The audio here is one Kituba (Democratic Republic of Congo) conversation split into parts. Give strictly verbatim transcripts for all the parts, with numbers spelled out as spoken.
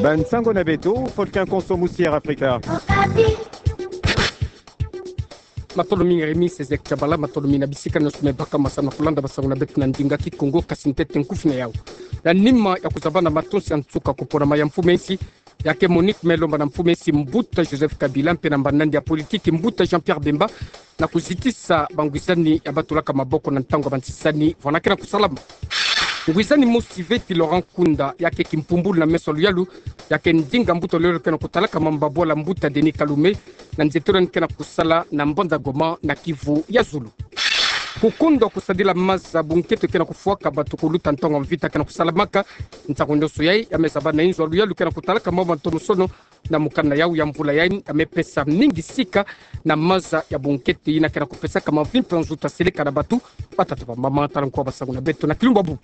Ba nsangu na beto, Faustin Konso, Musière Afrika. Matondo mingi Rémi Césaire Kiabala, matondo mingi na bisika nyonso me baka masamu na kulanda basangu na beto na ndinga Kikongo, kasi ntete nkufi na yau. Na nima ya kuzabana matonsi ya nsuka kuponama ya mfumu ya insi, ya ke Monique Melomba na mfumu ya insi mbuta Joseph Kabila, mpe na mbanandi ya politiki mbuta Jean-Pierre Bemba, na kuzitisa bangwizani ya batulaka maboko na ntangu ya bansisani, vwanda ke na kusalama. Ngwizani mosi veti Laurent Nkunda, ya ke kimpumbulu na meso ya luyalu, ya ke ndinga mbuta luyalu ke na kutalaka mamba bwala mbuta Denis Kalume, na nzietolo ni ke na kusala na mbanza Goma na Kivu ya zulu. Kukundwa kusadila maza bunkento ke na kufwaka bato kuluta ntangu ya mvita ke na kusalamaka, ntangu nyonso yai, ya me zaba na inzo ya luyalu ke na kutalaka mambu ma ntomosono, na mokanda yau ya mvula yai, ya me pesa mingi sika na maza ya bunkento yina ke na kupesaka mavimpi ya nzuta seleka na bato, batata bamama, tala nkoa basangu na beto na kilumbu ya bubu.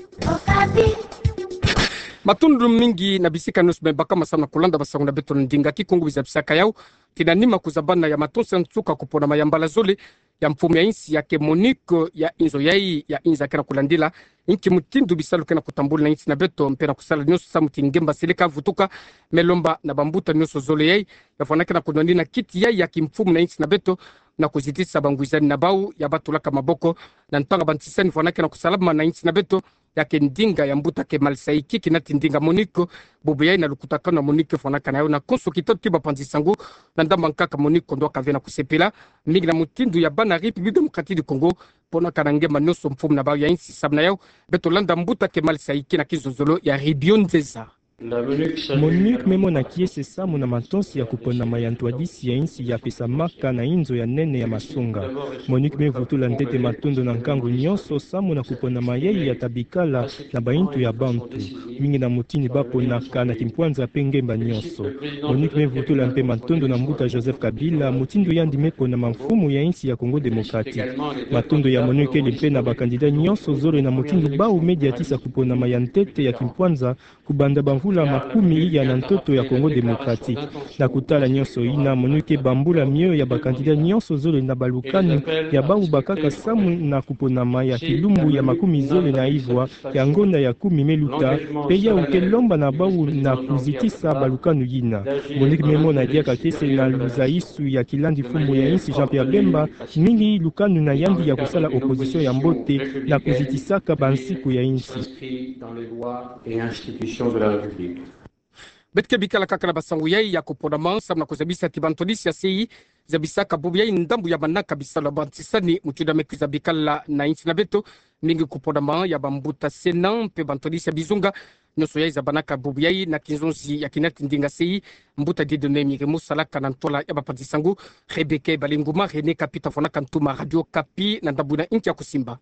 Matondo mingi na bisika nyonso me baka masamu na kulanda basangu na beto na ndinga Kikongo, biza bisaka yau, ti na nima kuzabana ya matonsi ya nsuka kuponama ya mbala zole ya mfumu ya insi, ya ke Monique, ya inzo yai, ya inza ke na kulandila inki mutindu bisalu ke na kutambula na insi na beto, mpe na kusala nyonso samu ti ngemba seleka vutuka, Melomba na bambuta nyonso zole yai, ya vwanda ke na kunwani na kiti yai ya kimfumu na insi na beto, na kuzitisa bangwizani na bau ya batulaka maboko na ntangu ya bansisani, vwanda ke na kusalama na insi na beto, ya ke ndinga ya mbuta Kemal Saïki, kinati ndinga Monique, bubu yai na lukutakanu ya Monique, vwanakana yau na konso kitatu ti bapanzi sango, na ndambu ya nkaka Monique kondwaka ve na kusepela mingi na mutindu ya bana République Démocratique du Congo, ponaka na ngemba nyonso mfumu na bau ya insi. Samu na yau, beto landa mbuta Kemal Saïki na kizozolo ya Ribio Nzeza. Monique me mona kiese samu na matonsi ya kuponama ya ntwadisi ya insi ya pesamaka na inzo ya nene ya masunga. Monique me vutula ntete matondo na nkangu nyonso samu na kuponama yai ya ta bikala na baintu ya bantu, mingi na mutindu ba ponaka na kimpwanza mpe ngemba nyonso. Monique me vutula mpe matondo na mbuta Joseph Kabila, mutindu yandi me ponama mfumu ya insi ya Congo Démocratique. Matondo ya Monique kele mpe na ba candidat nyonso zole na mutindu bau me diatisa kuponama ya ntete ya kimpwanza kubanda bamvula makumi iya na ntoto ya Congo Démocratique. Na kutala nyonso yina, Monique ke bambula mioyo ya ba candidat nyonso zole na balukanu ya bau bakaka samu na kuponama ya kilumbu ya makumi zole na ivwa ya ngonda ya kumi me luta, mpe yau ke lomba na bau na kuzitisa balukanu yina. Monique me mona diaka kiese na luzaisu ya kilandi mfumu ya insi Jean-Pierre Bemba, mingi lukanu na yandi ya kusala opposition ya mbote na kuzitisaka bansiku ya insi. Beto ke bikala kaka na basangu yai ya kuponama samu na kuzabisa ti bantwadisi ya C I I zabisaka bubu yai ndambu ya manaka bisalu ya bansisani, mutindu ya me kwiza bikala na insi na beto, mingi kuponama ya bambuta Sénat mpe bantwadisi ya bizunga nyonso yai zabanaka bubu yai na kinzonzi ya kinati ndinga C I I, mbuta Dieudonné Mirimo, salaka na ntwala ya bapanzi sango. Rebecca Balinguma, René Kapi ta vwanaka ntuma Radio Kapi na ndambu na inki ya kusimba.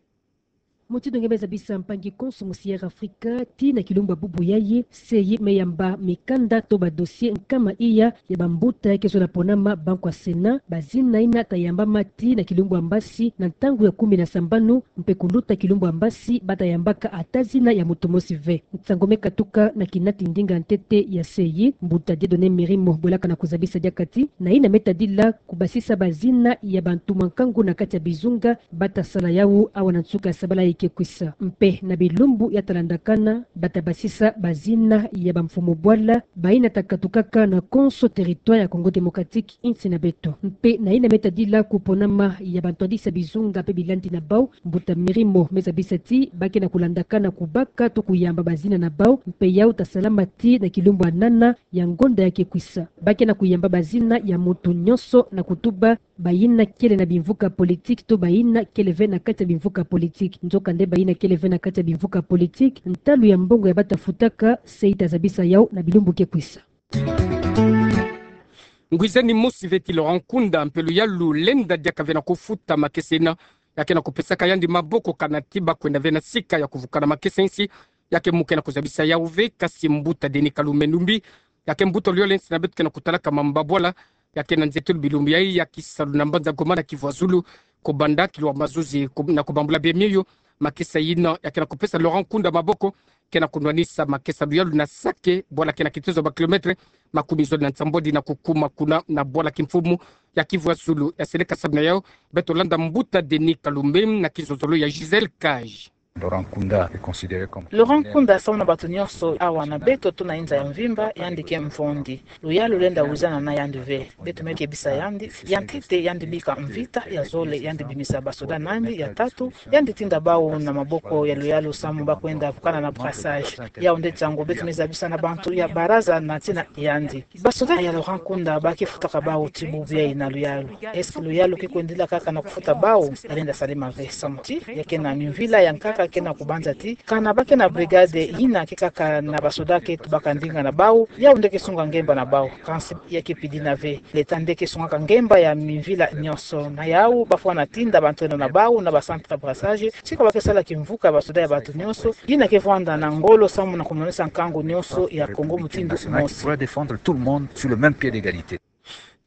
Mutindu nge me zabisa mpangi konso Musière Afrika, ti na kilumbu ya bubu yai, C I I me yamba mikanda to ba dossier nkama iya ya bambuta ya ke zola ponama bankwa Sénat, bazina yina ta yambama ti na kilumbu ya mbasi na ntangu ya kumi na sambanu, mpe kuluta kilumbu ya mbasi ba ta yambaka ata zina ya moto mosi ve. Nsangu me katuka na kinati ndinga ntete ya C I I, mbuta Dieudonné Mirimo bwelaka na kuzabisa diaka ti na yina me tadila kubasisa bazina ya bantu mwa nkangu na kati ya bizunga ba ta sala yau awa na nsuka ya sabala ya ke kwisa. Mpe na bilumbu ya ta landakana, ba ta basisa bazina ya bamfumu bwala bayina ta katukaka na konso territoire ya Congo Démocratique, insi na beto. Mpe na yina me tadila kuponama ya bantwadisi ya bizunga mpe bilandi na bau, mbuta Mirimo me zabisa ti ba ke na kulandakana kubaka to kuyamba bazina na bau, mpe yau ta salama ti na kilumbu ya nana ya ngonda ya ke kwisa. Ba ke na kuyamba bazina ya moto nyonso na kutuba bayina kele na bimvuka politique to bayina kele ve na kati ya bimvuka politique. Nzokande bayina kele ve na kati ya bimvuka politique, ntalu ya mbongo ya ba ta futaka, C I I ta zabisa yau na bilumbu ke kwisa. Ngwizani mosi veti Laurent Nkunda, mpe luyalu lenda diaka ve na kufuta makesa yina ya ke na kupesaka yandi maboko kana ti ba kwenda ve na sika ya kuvuka na makesa insi, ya ke mu ke na kuzabisa yau ve, kasi mbuta Denis Kalume Numbi, ya ke mbuta luyalu ya insi na beto ke na kutalaka mamba bwala, ya ke na nzietolo bilumbu yai ya kisalu na mbanza Goma na Kivu ya zulu, kubanda kilwa mazuzi ku-, na kubambula bie mioyo, makesa yina ya ke na kupesa Laurent Nkunda maboko, ke na kunwanisa makesa luyalu na Sake, bwala ke na kitezo ba kilomètre makumi zole na nsambwadi na kukuma kuna na bwala kimfumu ya Kivu ya zulu. Ya seleka samu na yau, beto landa mbuta Denis Kalume na kizozolo ya Gisèle Cage. Laurent Nkunda est considéré comme Laurent Nkunda, samu na bato nyonso awa na beto to na inza ya mvimba, yandi ke mfondi. Luyalu lenda wizana na yandi ve. Beto me kebisa yandi, ya ntete yandi bika mvita, ya zole yandi bimisa basoda na yandi, ya tatu yandi tinda bau na maboko ya luyalu samu ba kwenda vukana na brassage. Yau nde nsangu beto me zabisa na bantu ya baraza na ntina yandi. Basoda ya Laurent Nkunda ba ke futaka bau ti bubu yayi na luyalu. Est-ce que luyalu ke kwendila kaka na kufuta bau? Ya lenda salama ve samu ti ya ke na mvila ya nkaka ke na kubanza ti kana ba ke na brigade yina ke kaka na basoda ke tubaka ndinga na bau, yau nde ke sunga ngemba na bau. Kansi ya ke pidina ve. L'État nde ke sungaka ngemba ya mvila nyonso. Na yau ba fwana tinda bantu eno na bau na ba centre brassage, tika ba ke sala kimvuka ya basoda ya bato nyonso yina ke vwanda na ngolo samu na kumonisa nkangu nyonso ya Congo mutindu mosi. Pour défendre tout le monde sur le même pied d'égalité.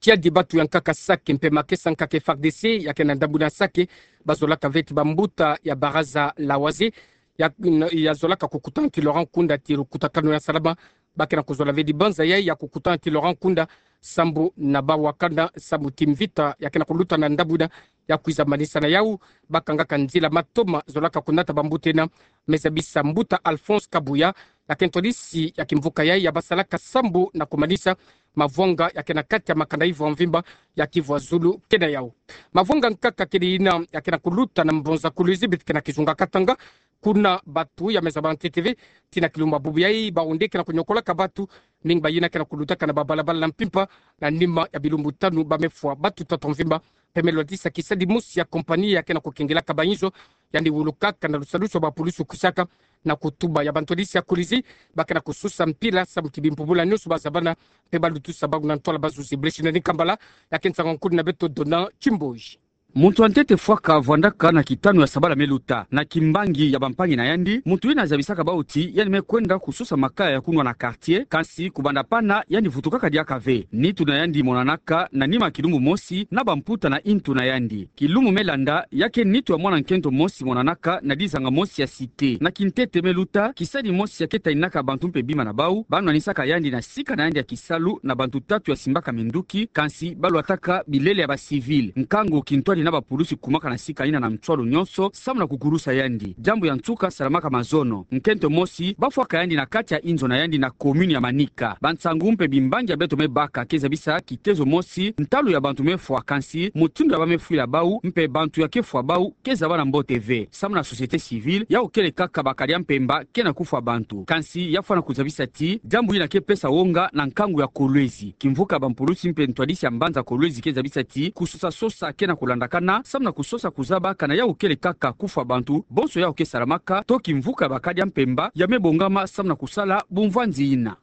Tiadi batu ya nkaka Sake mpe makesa nkaka F A R D C ya ke na ndambu na Sake, ba zolaka ve ti bambuta ya baraza la Oise ya, ya zolaka kukutana ti Laurent Nkunda ti lukutakanu ya salama. Ba ke na kuzola ve dibanza yayi ya kukutana ti Laurent Nkunda sambu na ba wakana sambu ti mvita ya ke na kuluta na ndambu yina. Ya kwiza manisa na yau, ba kangaka nzila matoma zolaka kunata bambuta yina. Me zabisa mbuta Alphonse Kabuya, ya ke ntwadisi ya kimvuka yayi ya ba salaka sambu na kumanisa mavwanga ya ke na kati ya makanda ivo ya mvimba ya Kivu ya Zulu ke na yau. Mavwanga nkaka kele yina ya ke na kuluta na mbonza Kolwezi beto ke na kizunga Katanga. Kuna batu ya me zaba ntete ve ti na kilumbu ya bubu yayi, bau nde ke na kunyokolaka batu, mingi ba yina ke na kulutaka na babalabala na mpimpa. Na nima ya bilumbu tanu ba me fwa batu tatu ya mvimba. Mpe me lwadisa kisadi mosi ya compagnie ya ke na kukengelaka bainzo, yandi wulukaka na lusalusu ya bapulusu kwisaka na kutuba ya bantwadisi ya Kolwezi. Ba ke na kususa mpila sambu ti bimpubula nyonso ba zabana, mpe ba lutusa bau na ntwala bazuzi. Blechina ni Kambala, ya ke nsangu ya nkudi na beto Dona Chimboji. Muntu ya ntete fwaka vwandaka na kitanu ya sabala me luta na kimbangi ya bampangi na yandi. Muntu yina zabisaka bau ti yandi me kwenda kususa makaya ya kunwa na quartier, kansi kubanda pana yandi vutukaka diaka ve. Nitu na yandi monanaka na nima ya kilumbu mosi na bamputa na intu na yandi. Kilumbu me landa, ya ke nitu ya mwana nkento mosi monanaka na dizanga mosi ya cité. Na kintete me luta, kisadi mosi ya ke taninaka bantu mpe bima na bau, ba nwanisaka yandi na sika na yandi ya kisalu na bantu tatu ya simbaka minduki, kansi ba lwataka bilele ya ba civil. Nkangu kintwadi na bapulusi kumaka na sika yina na nswalu nyonso samu na kukulusa yandi. Diambu ya nsuka salamaka mazono. Nkento mosi ba fwaka yandi na kati ya inzo na yandi na commune ya Manika. Bansangu mpe bimbangi ya beto me baka ke zabisa kitezo mosi, ntalu ya bantu me fwa, kansi mutindu ya ba me fwila bau mpe bantu ya ke fwa bau ke zabana mbote ve. Samu na société civile, yau kele kaka bakadi ya mpemba ke na kufwa bantu. Kansi ya fwana kuzabisa ti diambu yina ke pesa wonga na nkangu ya Kolwezi. Kimvuka ya bampulusi mpe ntwadisi ya mbanza Kolwezi ke zabisa ti kusosa sosa ke na kulandakana samu na kusosa kuzaba kana yau kele kaka kufwa bantu, bonso yau ke salamaka to kimvuka ya bakadi ya mpemba ya me bongama samu na kusala bumvwanzi yina.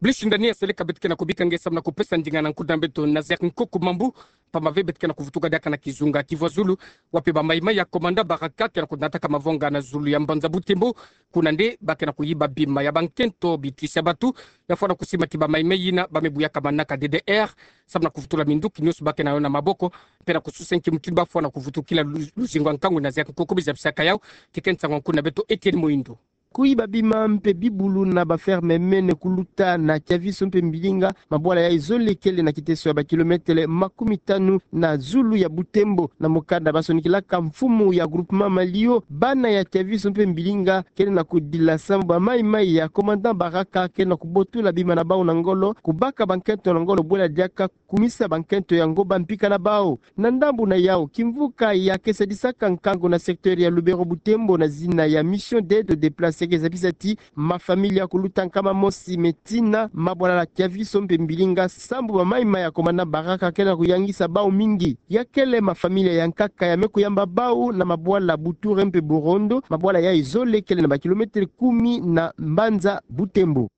Blechina ni, ya seleka beto ke na kubika nge samu na kupesa ndinga na nkudi na beto Nazaire Nkoko Mambu. Pamba ve beto ke na kuvutuka diaka na kizunga Kivu ya Zulu, wapi bamaimai ya commandant Baraka ke na kunataka mavwanga na zulu ya mbanza Butembo. Kuna nde ba ke na kuyiba bima ya bankento, bitwisi ya batu. Ya fwana kusima ti bamaimai yina ba me buyaka manaka D D R samu na kuvutula minduki nyonso ba ke na yo na maboko, mpe na kususa nki mutindu ba fwana kuvutukila lu-, luzingu ya nkangu. Nazaire Nkoko Mambu zabisaka yau. Ti ke nsangu ya nkudi na beto Etienne Moindo. Kuyiba bima mpe bibulu na ba ferme mene kuluta na Kiaviso mpe Mbilinga, mabwala yayi zole kele na kiteso ya ba kilometele makumi tanu na zulu ya Butembo. Na mukanda ba sonikilaka mfumu ya groupement Malio, bana ya Kiaviso mpe Mbilinga kele na kudila samu bamaimai ya commandant Baraka kele na kubotula bima na bau na ngolo, kubaka bankento na ngolo bwela diaka kumisa bankento yango ba mpika na bau. Na ndambu na yau, kimvuka ya ke sadisaka nkangu na secteur ya Lubero Butembo na zina ya Mission d'Aide aux Déplacés ke zabisa ti mafamilia kuluta nkama mosi me tina mabwala ya Kiaviso mpe Mbilinga sambu bamaimai ya commandant Baraka ke na kuyangisa bau mingi. Ya kele mafamilia ya nkaka ya me kuyamba bau na mabwala Buture mpe Burondo, mabwala yayi zole kele na ba kilometele kumi na mbanza Butembo.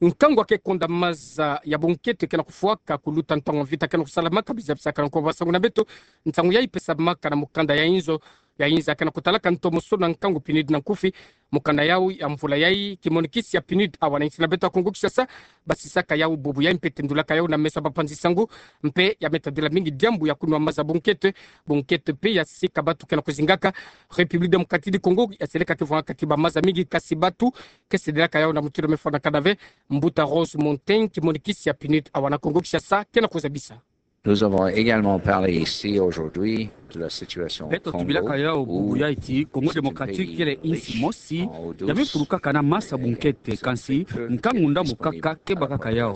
Nkangu ya ke konda maza ya bunkento ke na kufwaka kuluta ntangu mvita ke na kusalamaka, bizabisaka na nkombo ya nsangu na beto. Nsangu yayi pesamaka na mukanda ya inzo ya inza ke na kutalaka ntomosono ya nkangu PNUD na nkufi. Mukanda yau ya mvula yayi, kimonikisi ya PNUD awa na insi na beto ya Kongo Kinshasa, basisaka yau bubu yayi mpe tendulaka yau na meso ya bapanzi nsangu, mpe ya me tadila mingi diambu ya kunwa maza bunkento. Bunkento mpe ya sika batu ke na kuzingaka. République Démocratique du Congo ya seleka ti vwangaka ti bamaza mingi, kasi batu ke sedelaka yau na mutindu me fwanakana ve. Mbuta Rose Montaigne, kimonikisi ya PNUD awa na Kongo Kinshasa, ke na kuzabisa. Nous avons également parlé ici aujourd'hui de la situation au Congo. Beto tubilaka yau bubu yai ti Congo Démocratique kele insi mosi ya mifulukaka na masa bunkete, kansi nkangu ndambu kaka kebakaka yau.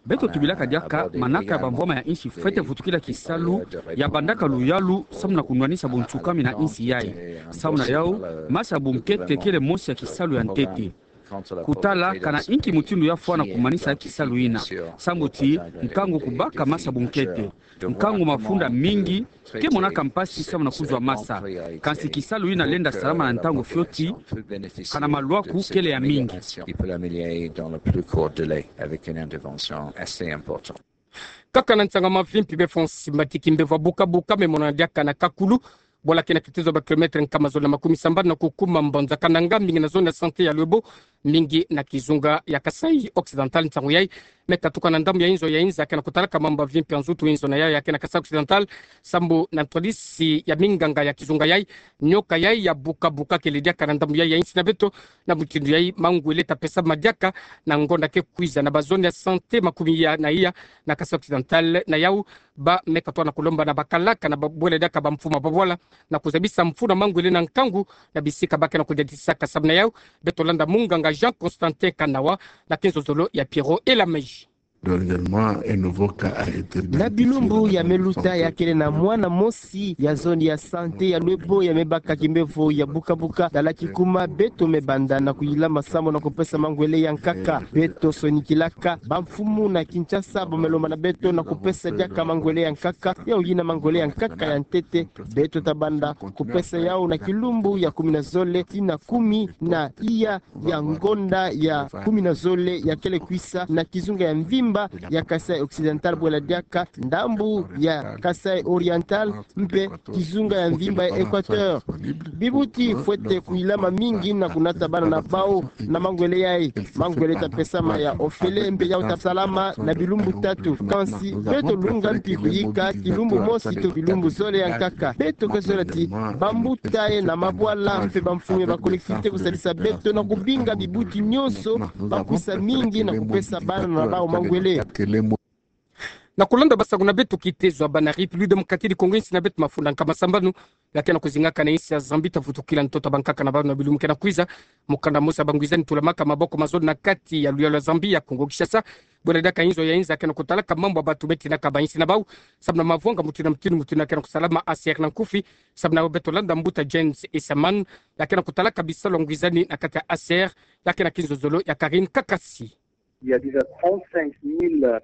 Beto tubilaka diaka manaka ya bamvwama ya insi fwete vutukila kisalu ya bandaka luyalu samu na kunwanisa buntsukami na insi yai. Samu na yau, masa bunkete kele mosi ya kisalu ya ntete. Kutala kana inki mutindu ya fwana kumanisa kisalu ina, sambu ti nkangu kubaka masa bunkete. Nkangu mafunda mingi ke monaka mpasi samu na kuzwa masa. Kansi kisalu ina lenda salama na ntangu fioti, kana malwaku kele ya mingi. Kaka na nsangu mavimpi, be Francis Matiki Mbevo wa Bukabuka me mona diaka na Kakulu, bwala kena kitezo ba kilomètre nkama zole na makumi sambanu na kukuma Mbanza Kananga, mingi na zone ya santé ya Lwebo, mingi na kizunga ya Kasaï Occidental. Nsangu yai me katuka na ndambu ya inzo ya inza kena kutalaka mambu mavimpi ya nzutu inzo na yau ya kena Kasaï Occidental, sambu na ntwadisi ya minganga ya kizunga yai, nyoka yai ya Bukabuka kele diaka na ndambu yai ya insi na beto, na mutindu yai mangwele ta pesama diaka na ngonda ke kwiza na ba zone ya santé makumi ya na iya na Kasaï Occidental. Na yau, ba me katoa na kulomba na bakalaka na ba bwela diaka bamfuma babwala na kuzabisa mfunu mangwele na nkangu na bisika ba kena kudiatisaka. Samu na yau, beto landa munganga Jean Constantin Kanawa na kinzozolo ya Pierrot Elamaji. Dernièrement, un nouveau cas a été détecté. Na bilumbu ya me luta ya kele na mwana mosi ya zone ya santé ya Lwebo ya me baka kimbevo ya Bukabuka. Tala kikuma beto me banda na kuyilama samu na kupesa mangwele ya nkaka. Beto sonikilaka bamfumu na Kinshasa, ba me lomba na beto na kupesa diaka mangwele ya nkaka. Yau yina mangwele ya nkaka ya ntete. Beto ta banda kupesa yau na kilumbu ya kumi na zole tii na kumi na iya ya ngonda ya kumi na zole ya kele kwisa na kizunga ya mvimba ya Kasaï Occidental, bwela diaka ndambu ya Kasaï Oriental mpe kizunga ya mvimba ya Équateur. Bibuti fwete kuyilama mingi na kunata bana na bau na mangwele yai. Mangwele ta pesama ya ofele mpe yau ta salama na bilumbu tatu. Kansi beto lunga mpi kuyika kilumbu mosi to bilumbu zole ya nkaka. Beto ke zola ti bambuta ye na mabwala mpe bamfumu ya ba collectivités kusalisa beto na kubinga bibuti nyonso ba kwisa mingi na kupesa bana na bau mangwele. Na kulanda basangu na beto, kitezo ya bana République Démocratique du Congo, insi na beto mafunda nkama sambanu ya kena kuzingaka na insi ya Zambie ta vutukila ntoto ya bankaka na bau na bilumbu kena kwiza. Mukanda mosi ya bangwizani tulamaka maboko mazole na kati ya luyalu ya Zambie ya Congo Kinshasa, bwela diaka inzo ya inza kena kutalaka mambu ya bato me tinaka ba insi na bau samu na mavwanga mutindu na mutindu, mutindu ya kena kusalama A C R na nkufi. Samu na yau beto landa mbuta James Isaman ya kena kutalaka bisalu ya ngwizani na kati ya A C R, ya kena kinzozolo ya Karine Kakasi.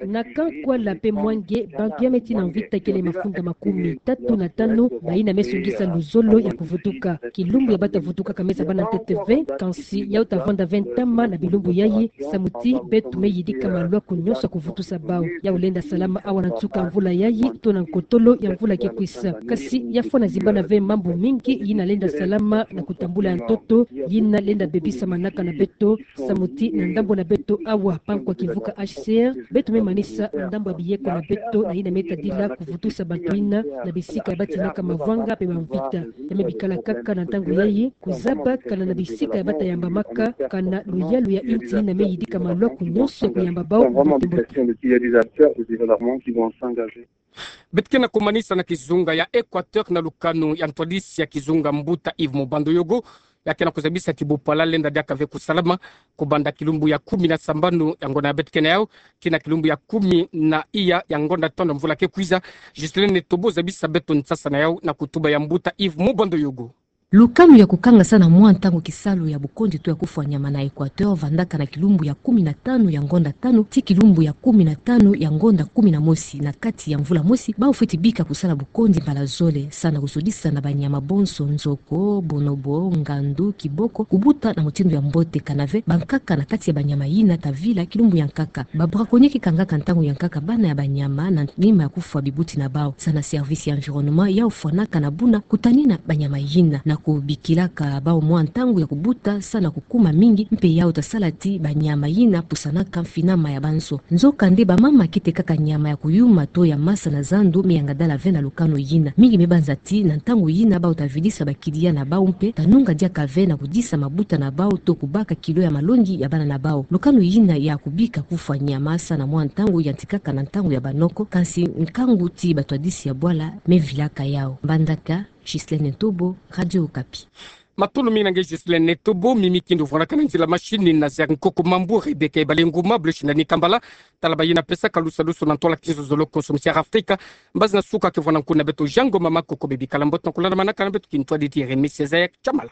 Na Kankwala mpe Mwange, bantu ya me tina mvita kele mafunda makumi tatu na tanu, bayina me songisa luzolo ya kuvutuka. Kilumbu ya bata vutukaka me zabana ntete ve, kansi yau ta vanda ve ntama na bilumbu yayi, samu ti beto me yidika malwaku nyonso ya kuvutusa bau. Yau lenda salama awa na nsuka ya mvula yayi, to na nkotolo ya mvula ke kwisa. Kasi ya fwana zibana ve mambu mingi yina lenda salama na kutambula ya ntoto, yina lenda bebisa manaka na beto, samu ti na ndambu na beto awa, pa nkwa kivuka H C R, beto me manisa ndambu ya biyeko na beto na yina me tadila kuvutusa bantu yina na bisika ya batinaka mavwanga mpe bamvita. Ya me bikala kaka na ntangu yayi kuzaba kana na bisika ya bata yambamaka, kana luyalu ya insi yina me yidika malwaku nyonso ya kuyamba bau. Beto ke na kumanisa na kizunga ya Équateur na lukanu ya ntwadisi ya kizunga, mbuta Yves Mubando Yogo, ya ke na kuzabisa ti bupala lenda diaka ve kusalama kubanda kilumbu ya kumi na sambanu ya ngonda ya beto ke na yau tii na kilumbu ya kumi na iya ya ngonda tanu ya mvula ke kwiza. Justine Netobo zabisa beto nsasa na yau na kutuba ya mbuta Yves Mubando Yogo. Lukanu ya kukangasa na mwa ntangu kisalu ya bukonzi to ya kufwa nyama na Équateur vandaka na kilumbu ya kumi na tanu ya ngonda tanu tii kilumbu ya kumi na tanu ya ngonda kumi na mosi na kati ya mvula mosi. Bau fweti bika kusala bukonzi mbala zole, sa na kuzodisa na banyama bonso, nzoko, bonobo, ngandu, kiboko, kubuta na mutindu ya mbote, kana ve bankaka na kati ya banyama yina ta vila kilumbu ya nkaka. Ba braconniers ke kangaka ntangu ya nkaka bana ya banyama na nima ya kufwa bibuti na bau. Sa na service ya environnement yau fwanaka na buna kutanina banyama yina na Kubikilaka bau mwa ntangu ya kubuta sa na kukuma mingi, mpe yau tasala ti banyama yina pusanaka mfinama ya banso. Nzokande bamama kete kaka nyama ya kuyuma to ya masa na zandu, me yanga dala ve na lukanu yina. Mingi me banza ti na ntangu yina bau tavidisa bakidia na bau mpe tanunga diaka ve na kudisa mabuta na bau to kubaka kilo ya malongi ya bana na bau. Lukanu yina ya kubika kufwa nyama sa na mwa ntangu yantikaka na ntangu ya banoko, kansi nkangu ti batwadisi ya bwala me vilaka yau. Mbandaka, Ghislaine Ntobo, Radio Okapi. Matondo mingi na nge Ghislaine Ntobo. Mimi kindo vwanakana nzila mashini na Ziari Nkoko Mambu, Rebecca Ebalenguma, Blush na Nikambala. Tala bayina pesaka lusalusu na ntwala kinzonzolo konso misiara Afrika. Mbazi nasuka ke vwana nkuna beto Jean Ngoma Makoko, bebi kala mbote na kulandamanaka na beto kintwadidi. Remisi Zaya Chamala.